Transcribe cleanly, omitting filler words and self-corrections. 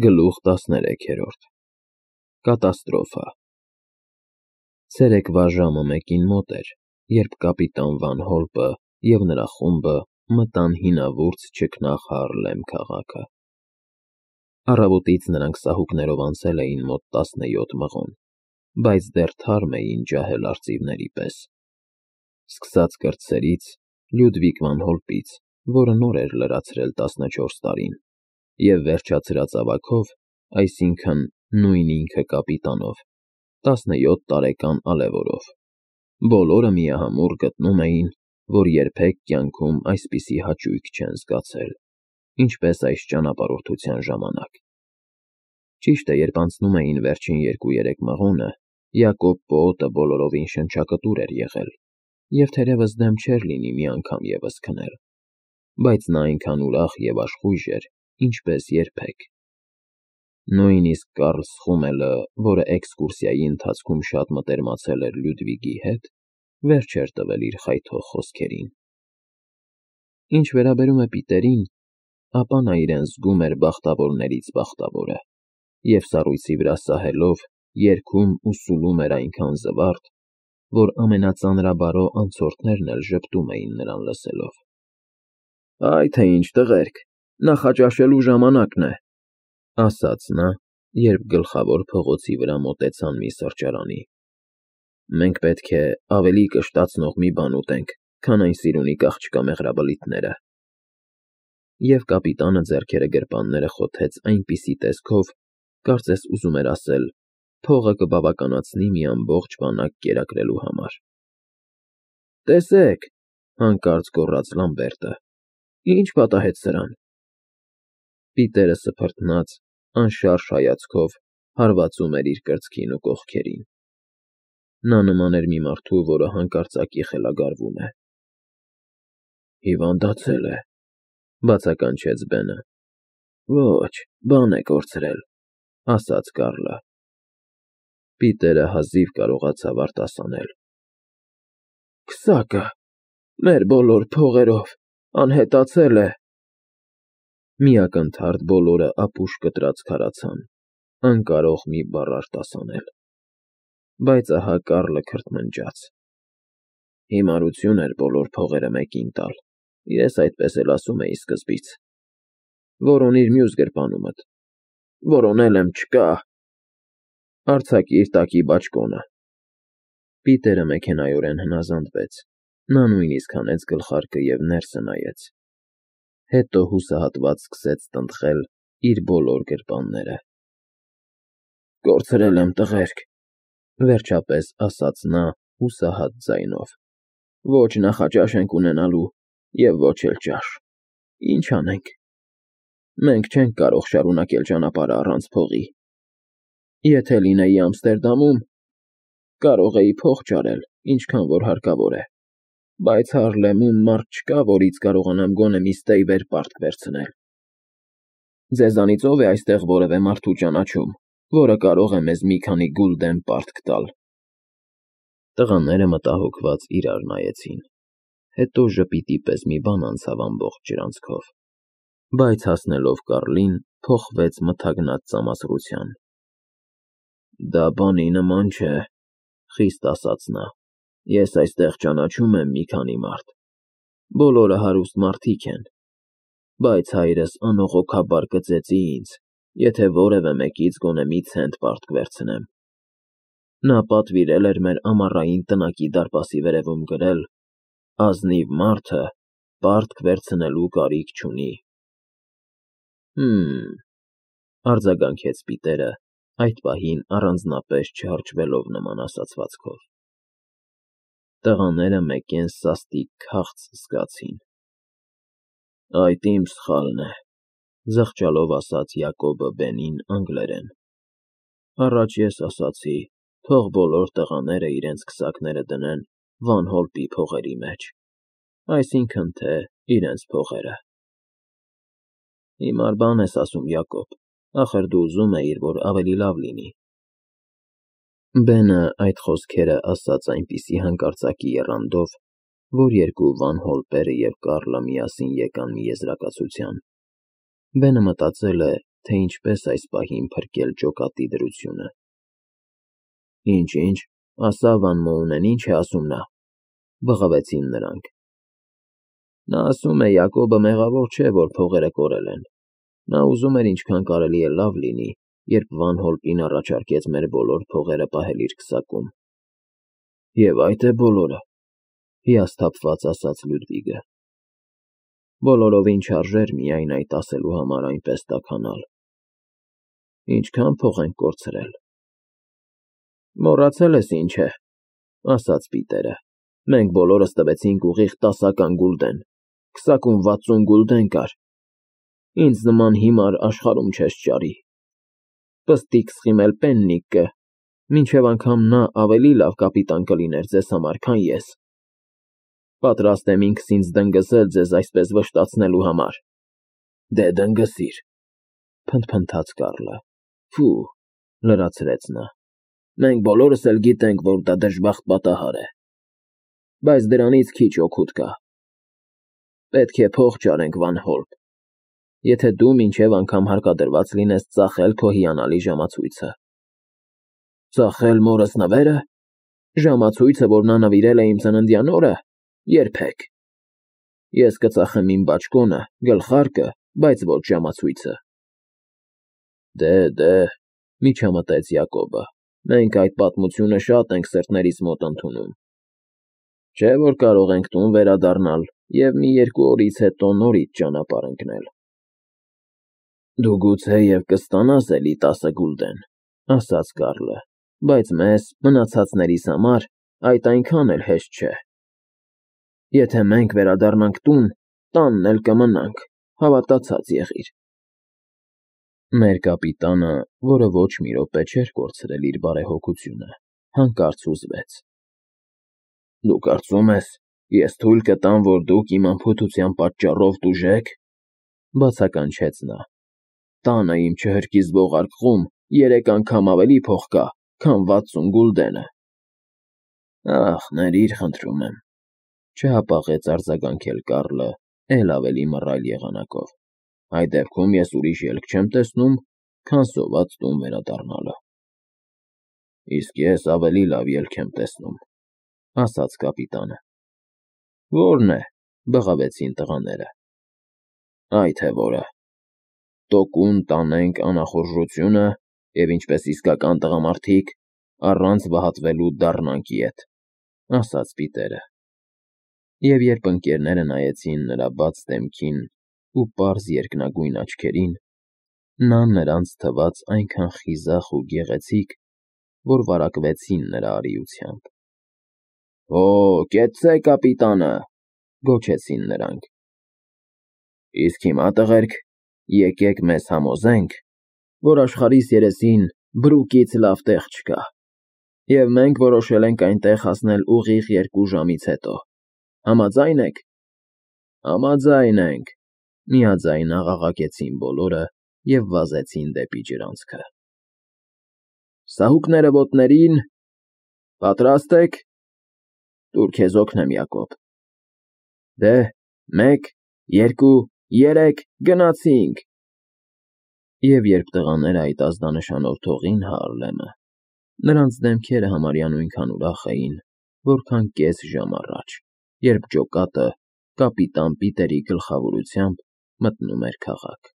Գլուխ 13 Կատաստրոֆա Ցերեկվա ժամը 1-ին մոտ էր, երբ կապիտան Վան Հոլպը և նրա խումբը մտան հինավուրց չքնաղ Հարլեմ քաղաքը։ Առավոտից նրանք սահուկներով անցել էին մոտ 17 մղոն, բայց դեռ թարմ էին ջահել արծիվների պես։ Սկսած կրտսերից, Լյուդվիգ Վան Հոլպից, որը նոր էր լրացրել 14 տարին, և վերջացրած ավագով, այսինքն նույն ինքը կապիտանով, 17 տարեկան Ալևորով, բոլորը միահամուռ գտնում էին, որ երբեք կյանքում այսպիսի հաճույք չեն զգացել, ինչպես այս ճանապարհորդության ժամանակ։ Ճիշտ է, երբ անցնում էին վերջին 2-3 մղոնը, Յակոբ պոոտը բոլորովին շնչակտուր էր եղել, և թերևս դեմ չէր լինի մի անգամ ևս քնել, բայց նա այնքան ուրախ և աշխույժ էր, ինչպես երբեք։ Նույնիսկ Կարլ Սխումելը, որը էքսկուրսիայի ընթացքում շատ մտերմացել էր Լյուդվիգի հետ, վերջ էր տվել իր խայթող խոսքերին։ Ինչ վերաբերում է Պիտերին, ապա նա իրեն զգում էր բախտավորներից բախտավորը, և սառույցի վրա սահելով երգում ու սուլում էր այնքան զվարթ, որ ամենածանրաբարո անցորդներն էլ ժպտում էին նրան լսելով։ «Այ թե ինչ, տղերք, նախաճաշելու ժամանակն է», ասաց նա, երբ գլխավոր փողոցի վրա մոտեցան մի սրճարանի։ «Մենք պետք է ավելի կշտացնող մի բան ուտենք, քան այն սիրունի աղջկա մեղրաբլիթները»։ Եվ կապիտանը ձեռքերը գրպանները խոթեց այնպիսի տեսքով, կարծես ուզում էր ասել. փողը կբավականացնի մի ամբողջ բանակ կերակրելու համար։ «Տեսեք,» հանկարծ գոռաց Լամբերտը, «ինչ պատահեց սրան»։ Պիտերը սփռտնած, անշարժ հայացքով հարվածում էր իր կրծքին ու կողքերին։ Նա նման էր մի մարդու, որը հանկարծակի խելագարվում է։ «Հիվանդացել է,» բացականչեց Բենը։ «Ոչ, բան է կորցրել», ասաց Կարլը։ Պիտերը հազիվ կարողացավ արտասանել. «Քսակը մեր բոլոր փողերով անհետացել է»։ Մի ակնթարթ բոլորը ապուշ կտրած քարացան, անկարող մի բառ արտասանել։ Բայց ահա Կարլը քրթմնջաց. «Հիմարություն էր բոլոր փողերը մեկին տալ, ես այդպես էլ ասում էի սկզբից։ Որոնիր մյուս գրպանումդ։ Որոնել եմ, չկա։ Արձակիր տակի բաճկոնը»։ Պիտերը մեքենայորեն հնազանդվեց, նա նույնիսկ հանեց գլխարկը և ներսը նայեց։ Հետո հուսահատված սկսեց տնտղել իր բոլոր գրպանները։ «Կորցրել եմ, տղերք,» վերջապես ասաց նա հուսահատ ձայնով։ «Ոչ նախաճաշ ենք ունենալու և ոչ էլ ճաշ։ Ինչ անենք։ Մենք չենք կարող շարունակել ճանապարհը առանց փողի։ Եթե լինեի Ամստերդամում, կարող էի փող ճարել, ինչքան որ հարկավոր է, բայց Հարլեմում մարդ չկա, որից կարողանամ գոնե մի ստեյվեր պարտք վերցնել։ Ձեզանից ո՞վ է այստեղ որևէ մարդու ճանաչում, որը կարող է մեզ մի քանի գուլդեն պարտք տալ»։ Տղաները մտահոգված իրար նայեցին, հետո ժպիտի պես մի բան անցավ ամբողջ ջրանցքով, բայց հասնելով Կարլին, փոխվեց մթագնած ծամասրության։ «Դա բանի նման չէ,» խիստ ասաց նա։ «Ես այստեղ ճանաչում եմ մի քանի մարդ, բոլորը հարուստ մարդիկ են, բայց հայրս անողոքաբար կծեծի ինձ, եթե որևէ մեկից գոնե մի ցենտ պարտք վերցնեմ։ Նա պատվիրել էր մեր ամառային տնակի դարպասի վերևում գրել. «Ազնիվ մարդը պարտք վերցնելու կարիք չունի»։ Արձագանքեց Պիտերը, այդ պահին առանձնապես չհարճվելով նման ասացվածքով։ Տղաները մեկ-են սաստիկ քաղց զգացին։ «Այդ իմ սխալն է,» զղջալով ասաց Յակոբը Բենին անգլերեն։ «Առաջ ես ասացի, թող բոլոր տղաները իրենց քսակները դնեն Վան Հոլպի փողերի մեջ, այսինքն թե իրենց փողերը»։ «Հիմար բան ես ասում, Յակոբ, ախր դու ուզում էիր, որ ավելի լավ լինի»։ Բենը այդ խոսքերը ասաց այնպիսի հանկարծակի եռանդով, որ երկու Վան Հոլպերը և Կարլը միասին եկան մի եզրակացության։ Բենը մտածել է, թե ինչպես այս պահին փրկել ջոկատի դրությունը։ Ինչ, ասա Վան Մոունեն, ինչ է ասում նա, բղավեցին նրանք։ Նա ասում է Յակոբը մեղավոր չէ, որ փողերը կորել են։ Նա ուզում էր ինչքան կարելի է լավ լինի, երբ Վան Հոլպին առաջարկեց մեր բոլոր փողերը պահել իր քսակում։ Եվ այդ է բոլորը, հիասթափված ասաց Լյուդվիգը։ Բոլորովին չարժեր միայն այդ ասելու համար այնպես տաքանալ։ Ինչքան փող ենք կորցրել։ Մոռացել ես ինչ է, ասաց Պիտերը։ Մենք բոլորս տվեցինք ուղիղ 10 գուլդեն, քսակում 60 գուլդեն կար։ Ինձ նման հիմար աշխարհում չես ճարի։ Պստիկ սխիմել պեննիկը, մինչև անգամ նա ավելի լավ կապիտան կլիներ ձեզ համար, քան ես։ Պատրաստ եմ ինքս ինձ դնգզել ձեզ այսպես վշտացնելու համար։ Դե դնգսիր, փնթփնթաց Կարլը։ Ֆու, լրացրեց նա։ Մենք բոլորս էլ գիտենք, որ դա դժբախտ պատահար է։ Բայց դրանից քիչ օգուտ կա։ Պետք է փող ճարենք, Վան Հոլպ, եթե դու մինչև անգամ հարկադրված լինես ծախել քո հիանալի ժամացույցը։ Ծախել մորս նվերը։ Ժամացույցը, որ նա նվիրել է իմ ծննդյան օրը, երբեք։ Ես կծախեմ իմ բաճկոնը, գլխարկը, բայց ոչ ժամացույցը։ Դե, միջամտեց Յակոբը, մենք այդ պատմությունը շատ ենք սրտներիս մոտ ընդունում։ Չէ՞ որ կարող ենք տուն վերադառնալ և մի 2 օրից հետո նորից ճանապարհ ընկնել։ Դու գուցեև կստանաս էլի 10 գուլդեն, ասաց Կարլը, բայց մեզ, մնացածներիս համար, այդ այնքան էլ հեշտ չէ։ Եթե մենք վերադառնանք տուն, տանն էլ կմնանք, հավատացած եղիր։ Մեր կապիտանը, որը ոչ մի րոպե չէր կորցրել իր բարեհոգությունը, հանկարծ հուզվեց։ Դու կարծում ես, ես թույլ կտամ, որ դուք իմ անփութության պատճառով տուժեք, բացականչեց նա։ Տանը իմ չհրկիզվող արկղում 3 անգամ ավելի փող կա, քան 60 գուլդենը։ Ախ, ներիր, խնդրում եմ, չհապաղեց արձագանքել Կարլը էլ ավելի մռայլ եղանակով։ Այդ դեպքում ես ուրիշ ելք չեմ տեսնում, քան սոված տուն վերադառնալը։ Իսկ ես ավելի լավ ելք եմ տեսնում, ասաց կապիտանը։ Որն է, բղավեցին տղաները։ Այ թե որը։ Տոկուն տանենք անախորժությունը և ինչպես իսկական տղամարդիկ, առանց վհատվելու դառնանք ետ, ասաց Պիտերը։ Եվ երբ ընկերները նայեցին նրա բաց դեմքին ու պարզ երկնագույն աչքերին, նա նրանց թվաց այնքան խիզախ ու գեղեցիկ, որ վարակվեցին նրա արիությամբ։ Օ, կեցցե, կապիտանը, գոչեցին նրանք։ Իսկ հիմա, տղերք, եկեք մեզ համոզենք, որ աշխարհիս երեսին բրուկից լավ տեղ չկա, և մենք որոշել ենք այնտեղ հասնել ուղիղ 2 ժամից հետո։ Համաձա՞յն եք։ Համաձայն ենք, միաձայն աղաղակեցին բոլորը և վազեցին դեպի ջրանցքը։ Սահուկները ոտներին, պատրաստ եք։ Տուր քեզ օգնեմ, Յակոբ։ Դե, 1, 2, 3, գնացինք։ Եվ երբ տղաները այդ ազդանշանով թողին Հարլեմը, նրանց դեմքերը համարյա նույնքան ուրախ էին, որքան կես ժամ առաջ, երբ ջոկատը կապիտան Պիտերի գլխավորությամբ մտնում էր քաղաք։